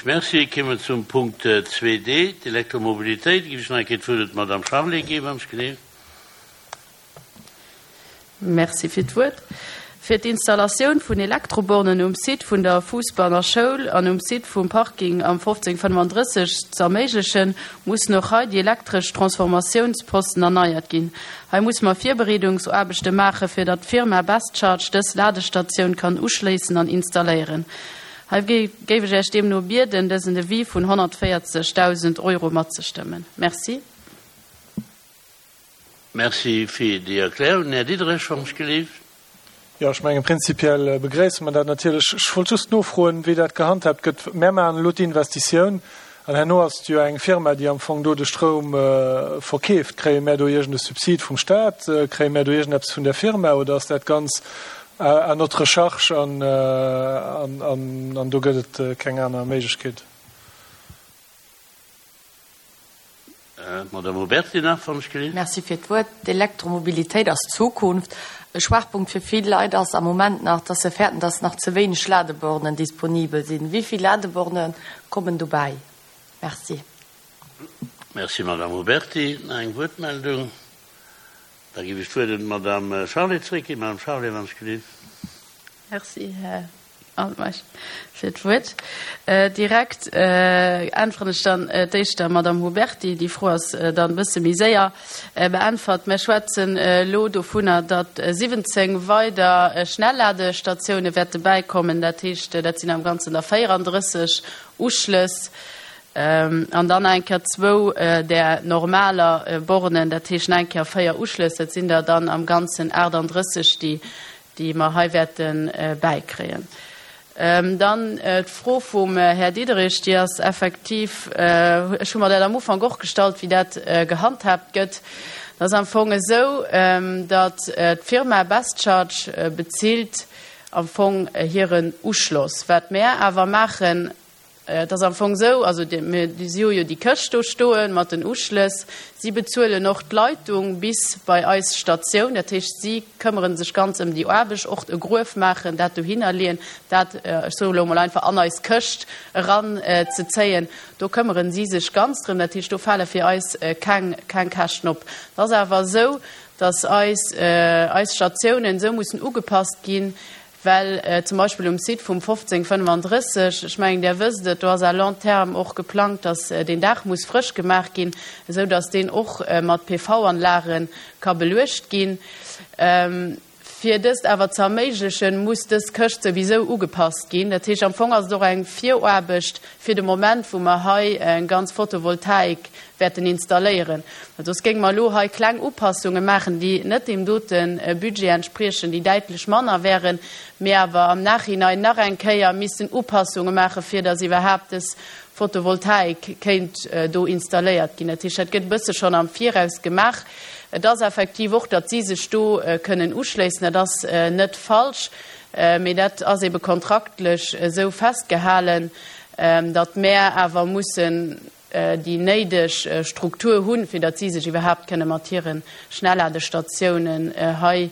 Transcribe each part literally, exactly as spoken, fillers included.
Merci. Komme zum Punkt zwei D, d'Elektromobilitéit. Géif ech nach eng Kéier d'Wuert d'Madame Charlé ginn, wann ech geleeft. Merci fir d'Wuert. Fir d'Installatioun vun Elektrobornen um Site vun der Fuussbanner Schoul an um Site vum Parking am fofzéng fënnefandrësseg ze erméiglechen, mussen och hei déi elektresch Transformatiounsposten erneiert ginn. Hei musse mer Virbereedungsaarbechte maachen, fir datt d'Firma Best Charge dës Ladestatioun kann uschléissen an installéieren. Hei géif ech Iech deemno bieden, dësen Devis vun honnertvéierzegdausend Euro matzestëmmen. Merci. Merci fir déi Erklärung. Här Diderich, wann ech geleeft. Jo, ech mengen, prinzipiell begréisse mer dat natierlech. Ech wollt just nofroen, wéi dat gehandhaabt gëtt. Mär maachen elo d'Investitioun an herno ass et jo eng Firma, déi am Fong do de Stroum verkeeft. Kréie mär do iergend e Subsid vum Staat? Kréie mär do iergendeppes vun der Firma oder ass dat ganz à notre charge an an do gëtt et keng aner Méiglechkeet? Madame Huberti nach, wann ech geleeft. Merci fir d'Wuert. D'Elektromobilitéit ass d'Zukunft. E Schwaachpunkt fir vill Leit ass am Moment nach, dass se fäerten, dass nach ze wéineg Ladebornen disponibel sinn. Wéi vill Ladeborne kommen dobäi? Merci. Merci, Madame Huberti. Nach eng Wuertmeldung? Da géif ech d'Wuert un d'Madame Charlé zréckginn. Madame Charlé, wann ech geleeft. Merci, Här Altmeisch, fir d'Wuert. Direkt äntweren ech dann d'éischt der Madame Huberti. Déi Fro ass dann e bësse méi séier beäntwert. Mir schwätzen elo dovunner, datt siwwenzéng weider Schnellladestatiounen wäerte bäikommen. Dat heescht, dat sinn am Ganzen der véierandrësseg Uschlëss. An dann eng Kéier zwou där normaler Bornen, dat heescht eng Kéier véier Uschlëss. Dat sinn der dann am Ganzen aachtandrësseg, déi déi mer hei wäerte bäikréien. Dann d'Fro vum Här Diderich, déi ass effektiv, ech hu mer dat am Ufank och gestallt, wéi dat gehandhaabt gëtt. Dat ass am Fong esou, datt d'Firma Best Charge bezilt am Fong hiren Uschloss. Wat mär awer maachen, et ass am Fong esou, also mir si hu jo déi Këscht do stoe mat den Uschlëss. Si bezuelen och d'Leitung bis bei eis Statioun. Dat heescht, si këmmere sech ganz ëm déi Aarbecht, och e Gruef maachen, dat dohinner leeën, dat, ech soe lo mol einfach, an eis Këscht eran ze zéien. Do këmmere si sech ganz drëm. Dat heescht, do fale fir eis keng, keng Käschten op. Et ass awer esou, datt eis, eis Statiounen esou mussen ugepasst ginn, well zum Beispill um Site vum fofzéng fënnefandrësseg, ech mengen, Dir wësst et, do ass à long terme och geplangt, datt deen Daach muss frësch gemaach ginn, esou datt deen och mat P V-Anlage ka beluecht ginn. Fir dëst awer ze erméiglechen, muss dës Këscht souwisou ugepasst ginn. Dat heescht, am Fong ass et och eng Viraarbecht fir de Moment, wou mer hei eng ganz Photovoltaik wäerten installéieren. Well soss géinge mer elo hei kleng Upassunge maachen, déi net deem dote Budget entspriechen, déi däitlech manner wäeren, mee awer am Nachhinein nach eng Kéier missten Upassunge maachen, fir datt iwwerhaapt dës Photovoltaik kéint do installéiert ginn. Dat heescht, dat gëtt e bësse schonn am Viraus gemaach. Et ass effektiv och, datt si sech do kënnen uschléissen, dat ass net falsch, mee dat ass ebe kontraktlech esou festgehalen, datt mär awer mussen déi néideg Struktur hunn, fir datt si sech iwwerhaapt kënne mat hire Schnellladestatiounen hei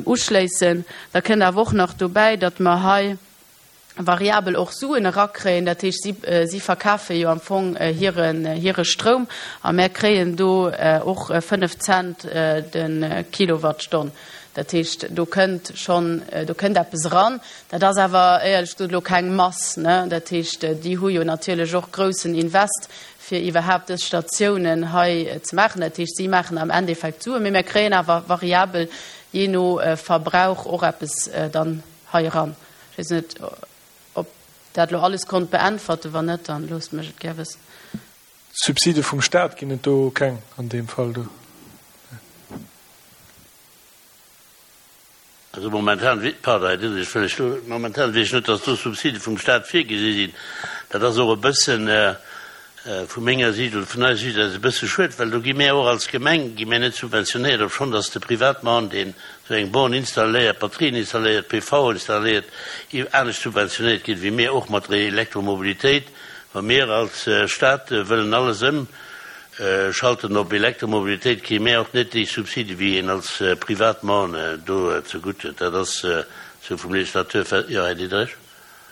uschléissen. Da kënnt awer och nach dobäi, datt mer hei variabel och Suen erakréien, dat heescht, si, si verkafe jo am Fong hiren, hire Stroum a mär kréien do och fënnef Cent de Kilowattstonn. Dat heescht, do kënnt schonn, do kënnt eppes eran. Dat ass awer éierlech gesot elo keng Mass, ne? Dat heescht, déi hu jo natierlech och groussen Invest, fir iwwerhaapt dës Statiounen hei ze maachen. Dat heescht, si maachen am Endeffekt Suen, mee mär kréien awer variabel jee no Verbrauch och eppes dann hei eran. Ech weess net, ob dat elo alles konnt beäntwerten. Wann net, dann loosst mech et gär wëssen. Subside vum Staat ginn et do keng an deem Fall do? Also momentan, pardon, Här Diderich, wëll ech do, momentan weess ech net, dass do Subside vum Staat virgesi sinn. Dat ass och e bëssen vu menger Siicht oder vun eiser Siicht aus e bësse schued, well do gi mär och als Gemeng, gi mär net subventionéiert, obschonn dass de Privatmann, deen esou eng Born installéiert, Batterien installéiert, P V installéiert, anescht subventionéiert ginn, wéi mir och mat der Elektromobilitéit. Wa mir als Staat wëllen alles ëm Schalten op Elektromobilitéit, kréie mär och net déi Subside wéi een als Privatman do zegutt huet. Dat ass sou vum Legislateur fest. Jo, Här Diderich.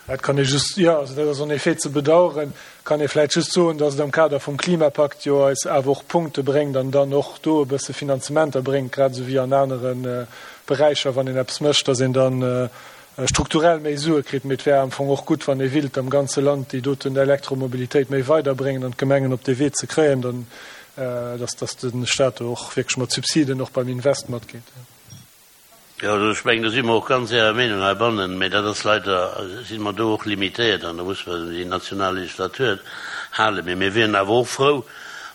Dat kann ee just, jo, also dat ass en effet ze bedauern. Kann ee vläicht just soen, dass et am Kader vum Klimapakt jo eis awer och Punkte bréngt an dann och do e bësse Finanzementer bréngt, grad esou wéi an anere Beräicher, wann een eppes mécht, dass een dann strukturell méi Sue kritt. Mee et wär am Fong och gutt, wann ee willt am ganze Land déi doten Elektromobilitéit méi weiderbréngen an d'Gemengen op dee Wee ze kréien, dann, dass, dass de Stat do och wierklech mat Subsiden och beim Invest matgeet. Jo, also ech mengen, do si mer och ganz Ärer Meenung heibannen, mä dat ass leider, si mer do och limitéiert an do muss mer déi national Legislatur halen. Mä mir wieren awer och frou,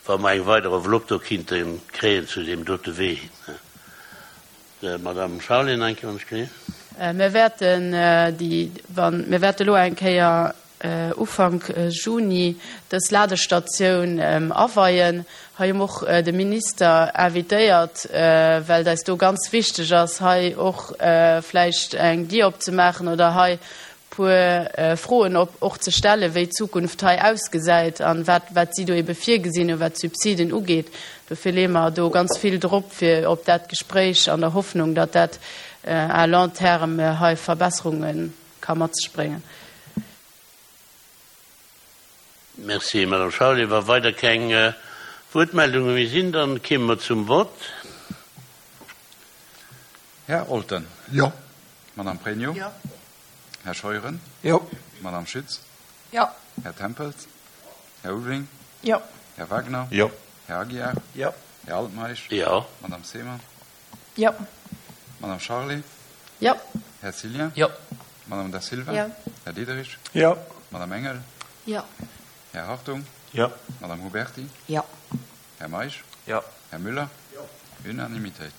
wa mer eng weider Enveloppe do kinnte kréien zu deem dote Wee hin. Madame Charlé, eng Kéier, wann ech géif. Mir wäerten déi, wann, mir wäerte elo eng Kéier Ufank Juni dës Ladestatioun aweien. Hei hu mer och de Minister invitéiert, well et eis do ganz wichteg ass, hei och vläicht eng Dier opzemaachen oder hei puer Froen och ze stellen, wéi d'Zukunft hei ausgesäit an wat, wat si do ebe virgesinn hunn, wat d'Subsiden ugeet. Dofir leeë mer do ganz vill drop fir op dat Gespréich an der Hoffnung, datt dat à long terme hei Verbesserunge ka mat sech bréngen. Merci, Madame Charlé. Wa weider keng Wuertmeldunge méi sinn, dann kéime mer zum Vott. Här Olten. Jo. Madame Pregno. Jo. Här Scheuren. Jo. Madame Schütz. Jo. Här Tempels. Här Ulveling. Jo. Här Wagner. Jo. Här Aguiar. Jo. Här Altmeisch. Jo. Madame Seemann. Jo. Madame Charlé. Jo. Här Cillien. Jo. Madame Da Silva. Jo. Här Diderich. Jo. Madame Engel. Jo. Här Hartung. Jo. Madame Huberti. Jo. Här Meisch. Jo. Här Müller. Jo. Unanimitéit.